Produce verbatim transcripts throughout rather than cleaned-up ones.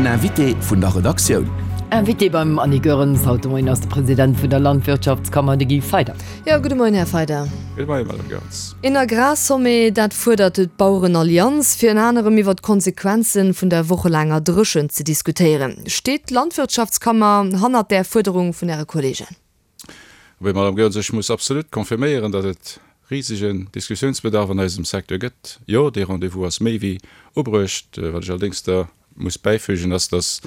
Den Invité vun der Redaktioun. Invité beim Annie Goerens haut de Moien ass de President vun der Landwirtschaftskammer, de Guy Feyder. Jo, gudde Moien, Här Feyder. Gudde Moien, Madame Goerens. Een Agrarsommet, dat fuerdert d'Bauerenallianz, fir ënner anerem iwwer d'Konsequenze vun der wochelaanger Dréchent ze diskutéieren. Steet d'Landwirtschaftskammer hannert där Fuerderung vun Äre Kolleegen? Abee, Madame Goerens, ech muss absolut confirméieren, datt et risegen Diskussiounsbedarf an eisem Secteur gëtt. Jo, dee Rendez-vous ass méi wéi ubruecht. Wat ech allerdéngs da muss bäifügen, ass, datt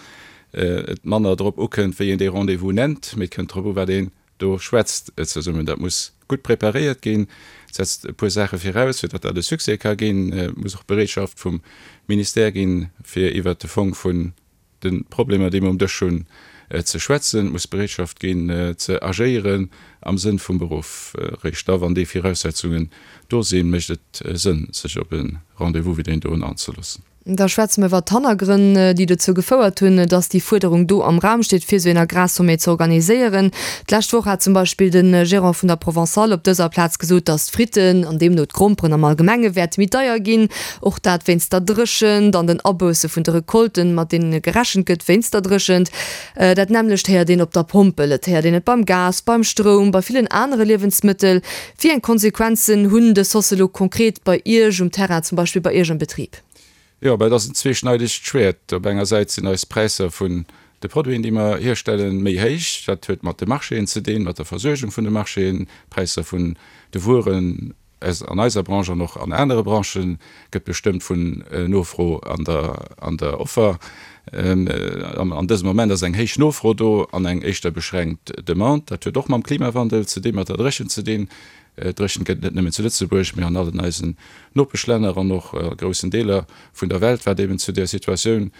et manner drop ukënnt, wéi een dee Rendez-vous nennt, mee et kënnt drop u, wat een do schwätzt zesummen. Dat muss gutt preparéiert ginn. Et setzt e puer Saache viraus, fir datt dat e Succès ka ginn. Et muss och Bereetschaft vum Ministère ginn, fir iwwert de Fong vun de Problemer, déi mer um Dësch hunn, ze schwätzen. Et muss Bereetschaft ginn, ze agéieren am Sënn vum Beruff. Eréischt da, wann déi Viraussetzungen do sinn, mécht et Sënn, sech op e Rendez-vous wéi deen doen anzeloossen. Da schwätze mer iwwert d'Hannergrënn, déi dozou gefouert hunn, dass déi Fuerderung do am Raum steet, fir esou een Agrarsommet ze organiséieren. D'lescht Woch hat zum Beispill de Gérant vun der Provençale op dëser Plaz gesot, dass d'Fritten an deemno d'Gromperen am Allgemenge wäerte méi deier ginn. Och dat wéinst der Dréchent an den Abousse vun de Recolten, mat deene gerechent gëtt wéinst der Dréchent. Dat nämmlecht héiert een op der Pompel. Et héiert een et beim Gas, beim Stroum, bei villen anere Liewensmëttel. Wéi eng Konsequenzen hunn dës Hausse elo konkret bei Iech um Terrain, zum Beispill bei Iech am Betrib? Jo, mä et ass en zweeschneidegt Schwäert. Op enger Säit sinn eis Präisser vun de Produiten, déi mer hierstellen, méi héich. Dat huet mat de Marchéen ze dinn, mat der Versuergung vun de Marchéen. D'Präisser vun de Wueren an eiser Branche an och an anere Branchë gëtt bestëmmt vun Nofro an der an der Offer. An dësem Moment ass eng héich Nofro do an eng éischter beschränkt Demande. Dat huet och mam Klimawandel ze dinn, mat der Dréchent ze dinn. Dréchent gëtt et net nëmmen zu Lëtzebuerg, mee an allen eisen Nopeschlänner an och a groussen Deeler vun der Welt, wat eben zu där Situatioun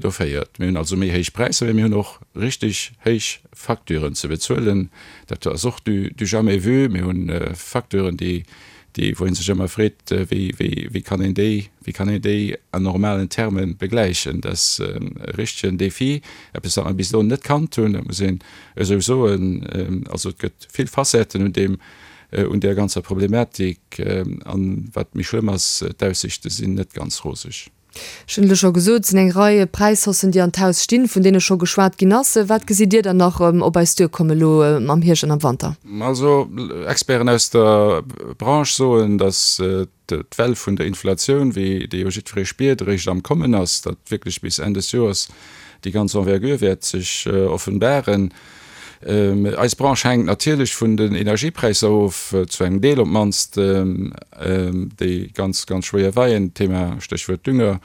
do féiert. Mir hunn also méi héich Präisser, mee mir hunn och richtig héich Facturen ze bezuelen. Dat ass och du du jamais vu. Mir hu Facturen, déi, déi, wou ee sech ëmmer freet, wéi, wéi, wéi kann een déi, wéi kann een déi an normalen Terme begläichen. Dat ass e richtegen Défi, eppes, wat mer bis elo net kannt hunn, dat muss een esou soen. Also et gëtt vill Facetten un deem, un där ganzer Problematik. An wat méi schlëmm ass, d'Aussiichte sinn net ganz roseg. Ech hunn et elo scho gesot, et sinn eng Rei Präishaussen, déi an d'Haus stinn, vun deene scho geschwat ginn ass. Wat gesitt Dir dann nach op eis duerkommen elo am Hierscht an am Wanter? Also Experten aus der Branche soen, datt d'Well vun der Inflatioun, wéi déi jo jiddweree spiert, eréischt am Kommen ass, datt wierklech bis Enn des Joers déi ganz Envergure wäert sech offenbaren. Eis Branche hänkt natierlech vun den Energiepräisser of, zu engem Deel op d'mannst, déi ganz, ganz schwéier weien. Thema, Stéchwuert Dünger,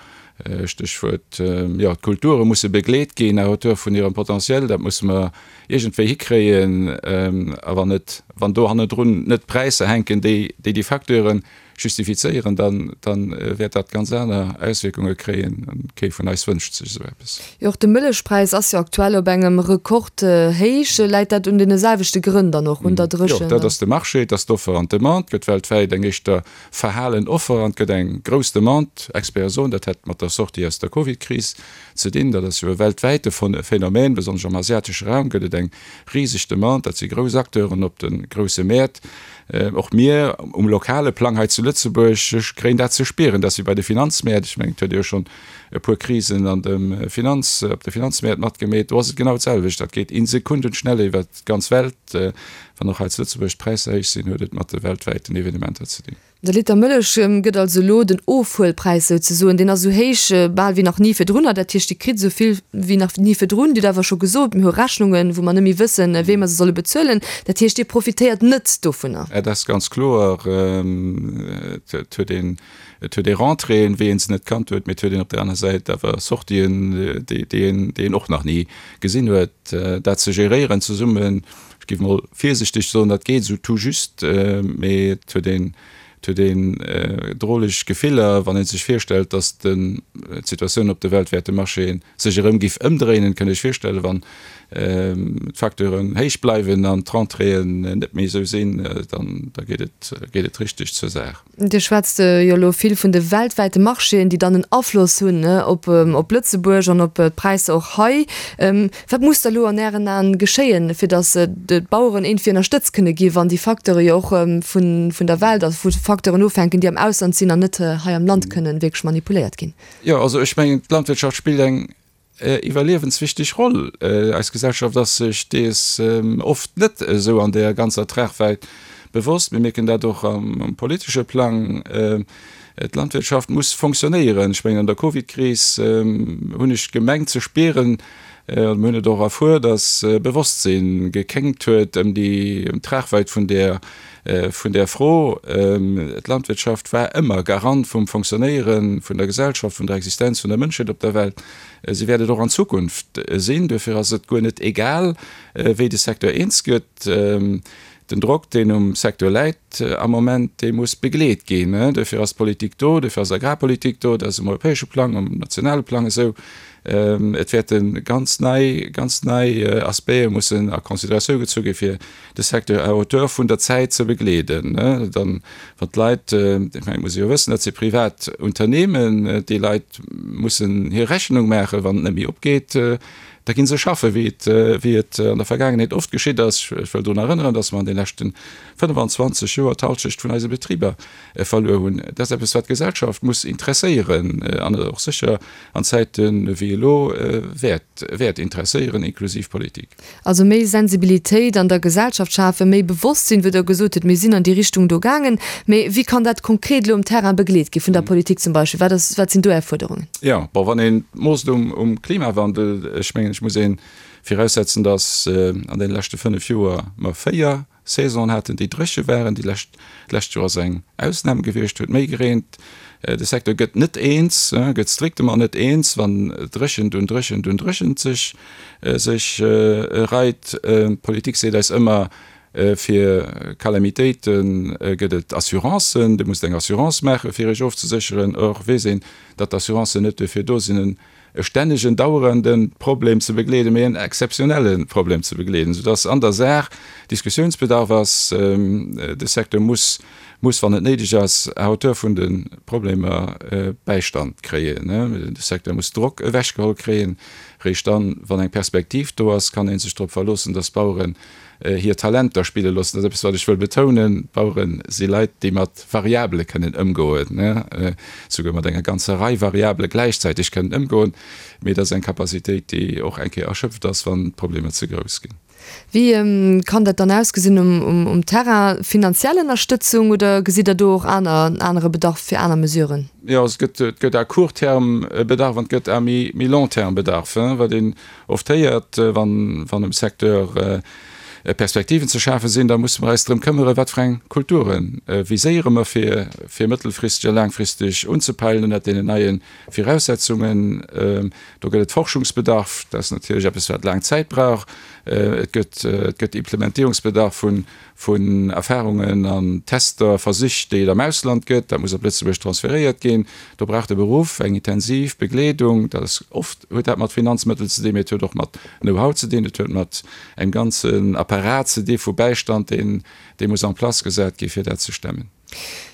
Stéchwuert, jo, d'Kulture musse begleet ginn à hauteur vun hirem Potentiel. Dat musse mer iergendwéi hikréien. A wann et, wann do hannendrun net Präisser hänken, déi déi Facteuren justifizéieren, dann dann wäert dat ganz aner Auswierkunge kréien. An kee vun eis wënscht sech esou eppes. Jo, och de Mëllechpräis ass jo aktuell op engem Rekordhéich. Läit dat un deene selwechte Grënn dann och, un der Dréchent? Jo, dat ass de Marché, et ass d'Offer an d'Demande. Et gëtt weltwäit eng éischter verhalen Offer an et gëtt eng grouss Demande. Experte soen, dat hätt mat der Sortie aus der Covid-Kris ze dinn. Dat ass jo e weltwäite Phänomen. Besonnesch am asiatesche Raum gëtt et eng riseg Demande. Dat si grouss Acteuren op de grousse Mäert. Och mir um lokale Plang hei zu Lëtzebuerg kréien dat ze spieren, dass si bei de Finanzmäert, ech mengen, et huet ee jo schonn e puer Krisen an dem Finanz, op de Finanzmäert matgemeet, do ass et genau d'selwecht. Dat geet in Sekundenschnelle iwwert d'ganz Welt. Wann och hei zu Lëtzebuerg d'Präisser héich sinn, huet et mat de weltwäiten Evenementer ze dinn. De Liter Mëllech gëtt also elo den Ofhuelpräis souzesoen, deen ass esou héich bal wéi nach ni virdrunner. Dat heescht, Dir kritt esou vill wéi nach ni virdrun. Dir hutt awer scho gesot, mir hu Rechnungen, wou mer net méi wëssen, wéi mer se solle bezuelen. Dat heescht, Dir profitéiert net dovunner. Et ass ganz kloer, et huet een, et huet ee Rentréeën, wéi ee se net kannt huet, mee et huet een op där aner Säit awer Sortien, déi, déi een, déi een och nach ni gesinn huet. Dat ze geréieren zesummen, ech géif mol virsichteg soen, dat geet esou tout juste, mee et huet een, Et huet een droleg Gefiller, wann ee sech virstellt, datt d'Situatioun op de weltwäite Marchéen sech erëm giff ëmdréinen. Kënnt Iech virstellen, wann d'Facteuren héich bleiwen an d'Rentréeën net méi esou sinn, dann da geet et geet et richteg zur Saach. Dir schwätzt jo elo vill vun de weltwäite Marchéen, déi dann en Afloss hunn op op Lëtzebuerg an op d'Präisser och hei. Wat muss da elo an Ären Aen geschéien, fir datt d'Baueren iergendwéi ënnerstëtzt kënne ginn, wann déi Facteure jo och vun der Welt, also vu Facteuren ofhänken, déi am Ausland sinn an net hei am Land kënnen wierklech manipuléiert ginn? Jo, also ech mengen, d'Landwirtschaft spillt eng iwwerliewenswichteg Roll. Eis Gesellschaft ass sech dees oft net esou an der ganzer Tragwäit bewosst. Mir mierken dat och am politesche Plang. D'Landwirtschaft muss fonctionnéieren. Ech mengen, an der Covidkris hunn ech gemengt ze spieren, an mir hunn et och erfuer, datt Bewosstsinn gekéngt huet ëm déi, ëm d'Tragwäit vun där, vun där Fro. D'Landwirtschaft war ëmmer Garant vum Fonctionnéiere vun der Gesellschaft, vun der Existenz vun der Mënschheet op der Welt. Si wäert et och an Zukunft sinn. Duerfir ass et guer net egal, wéi de Secteur eens gëtt. Den Drock, deen um Secteur läit am Moment, dee muss begleet ginn. Duerfir ass d'Politik do, duerfir ass Agrarpolitik do, dat ass um europäesche Plang, um nationale Plang esou. Et wäerte ganz nei, ganz nei Aspecte mussen a Consideratioun gezu gi fir de Secteur à hauteur vun der Zäit ze begleeden. Dann, wann d'Leit, ech mengen, et muss ee jo wëssen, dat si privat Unternehmen, déi Leit mussen hir Rechnung maachen, wann et net méi opgeet, Da gi se schaffen, wéi et, wéi et an der Vergaangenheet oft geschitt ass. Ech wëll drun erënneren, dass mer an de leschte fënnefan-zwanzeg Joer d'Halschecht vun eise Betriber verluer hunn. Dat ass eppes, wat d'Gesellschaft muss interesséieren an och sécher an Zäite wéi elo wäert, wäert interesséieren, inklusiv d'Politik. Also méi Sensibilitéit an der Gesellschaft schafen, méi Bewosstsinn, wou Der gesot hutt, mir sinn an déi Richtung do gaangen. Mee wéi kann dat konkret elo um Terrain begleet gi vun der Politik zum Beispill? Wat ass, wat sinn do Är Fuerderungen? Jo, bon, wann een moosst um, um Klimawandel, ech mengen, ech muss ee viraussetzen, datt an deene leschte fënnef Joer mer véier Saisonen haten, déi dréche waren. Déi lescht, d'lescht Joer ass eng Ausnam gewiescht, huet méi gereent. De Secteur gëtt net eens, gëtt strictement net eens, wann Dréchent un Dréchent un Dréchent sech, sech reit. D'Politik seet eis ëmmer, fir Calamitéite gëtt et Assurancen, Dir musst eng Assurance maachen, fir Iech ofzesécheren. Or weess een, datt d'Assurancen net duerfir do sinn, e stännegen, dauerende Problem ze begleeden, mee en exzeptionelle Problem ze begleeden, soudass an der Saach Diskussionsbedarf ass. De Secteur muss, muss, wann et néideg ass, à hauteur vun de Problemer Bäistand kréien. De Secteur muss Drock ewechgeholl kréien. Réischt dann, wann eng Perspektiv do ass, kann ee sech drop verloossen, dass d'Baueren hir Talenter spille loossen. Dat ass eppes, wat ech wëll betounen, D'Bauere si Leit, déi mat Variabele kënnen ëmgoen, souguer mat enger ganzer Rei Variabele gläichzäiteg kënnen ëmgoen. Mee dat ass eng Capacitéit, déi och eng Kéier erschöpft ass, wann d'Problemer ze grouss ginn. Wéi kann dat dann ausgesinn um Terrain? Finanziell Ënnerstëtzung oder gesitt Der do och aner, anere Bedarf fir aner Mesuren? Jo, et gëtt, et gëtt à court terme Bedarf an et gëtt à méi, méi long terme Bedarf. Wat een oft héiert, wann, wann um Secteur Perspektiven ze schafe sinn, da musse mer eis drëm këmmere wat fir eng Kulture viséiere mer fir, fir mëttelfristeg a laangfristeg unzepeilen ënnert deenen neie Viraussetzungen. Do gëtt et Forschungsbedarf, dat ass natierlech eppes wat laang Zäit brauch. Et gëtt, et gëtt Implementierungsbedarf vun, vun Erfahrungen an Tester, Versich, déi et am Ausland gëtt. Dat muss op Lëtzebuerg transferéiert ginn. Do brauch de Beruff eng intensiv Begleedung. Dat ass oft huet dat mat Finanzmëttel ze dinn, mee et huet och mat Know-how ze dinn. Et huet mat engem ganzen Apparat ze di vu Bäistand, deen, dee muss en place gesat gi fir dat ze stemmen.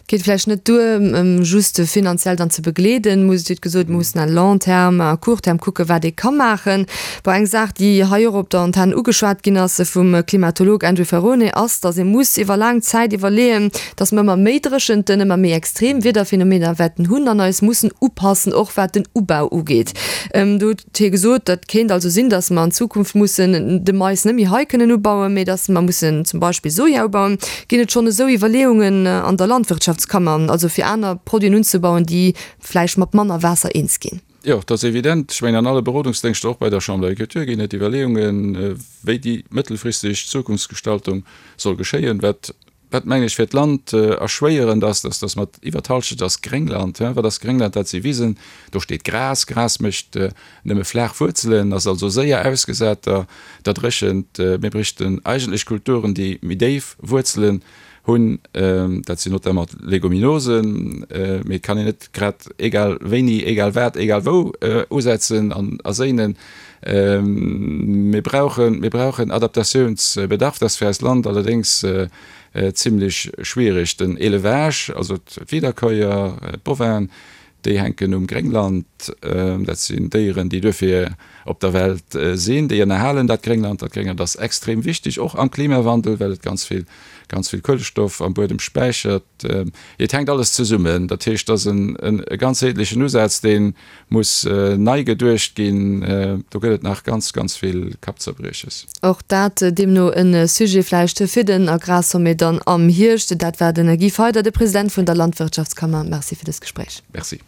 Et geet vläicht net duer, just finanziell dann ze begleeden, muss, Dir hutt gesot, mir mussen à long terme, à court terme kucken, wat ee ka maachen. Bon, eng Saach, déi hei och op der Antenn ugeschwat ginn ass vum Klimatolog Andrew Ferrone, ass, datt ee muss iwwer laang Zäit iwwerleeën, datt mer ëmmer méi Dréchenten, ëmmer méi extrem Wiederphenomener wäerten hunn an eis mussen upassen, och wat den Ubau ugeet. Do huet hie gesot, dat kéint also sinn, datt mer an Zukunft mussen de Mais net méi hei kënnen ubauen, mee datt mer mussen zum Beispill Soja ubauen. Ginn et schonn esou Iwwerleeungen an der Landwirtschaftskammer, also fir aner Produiten unzebauen, déi vläicht mat manner Waasser eens ginn? Jo, dat ass evident. Ech mengen, an alle Berodungsdéngschter, och bei der Chambre d'Agriculture, ginn et Iwwerleeungen, wéi déi mëttelfristeg Zukunftsgestaltung soll geschéien. Wat Wat, mengen ech, fir d'Land erschwéierend ass, dass dass mat iwwer d'Halschent ass Gréngland. Wat ass Gréngland? Dat si Wisen, do steet Gras. Gras mécht nëmme flaach Wuerzelen, ass also séier ausgesat der der Dréchent. Mir bréichten eigentlech Kulturen, déi méi déif Wuerzelen hunn. Dat sinn notamment d'Leguminosen. Mee et kann een net grad egal wéini, egal wat, egal wou usetzen an erséinen. Mir brauchen, mir brauchen Adaptatiounsbedarf. Dat ass fir eist Land allerdéngs zimlech schwierig. Den Élevage, also d'Wiederkäuer, d'Bovinen, Déi hänken um Gréngland. Dat sinn Déieren, déi duerfir op der Welt sinn. Déi ënnerhalen dat Gréngland. Dat Gréngland ass extrem wichteg, och am Klimawandel, well et ganz vill, ganz vill Kuelestoff am Buedem späichert. Et hänkt alles zesummen. Dat heescht, et ass e ganzheetlechen Usaz, dee muss nei geduecht ginn. Do gëtt et nach ganz, ganz vill Kappzerbrieches. Och dat deemno e Sujet vläicht fir den Agrarsommet dann am Hierscht. Dat war den Guy Feyder, de President vun der Landwirtschaftskammer. Merci fir dëst Gespréich. Merci.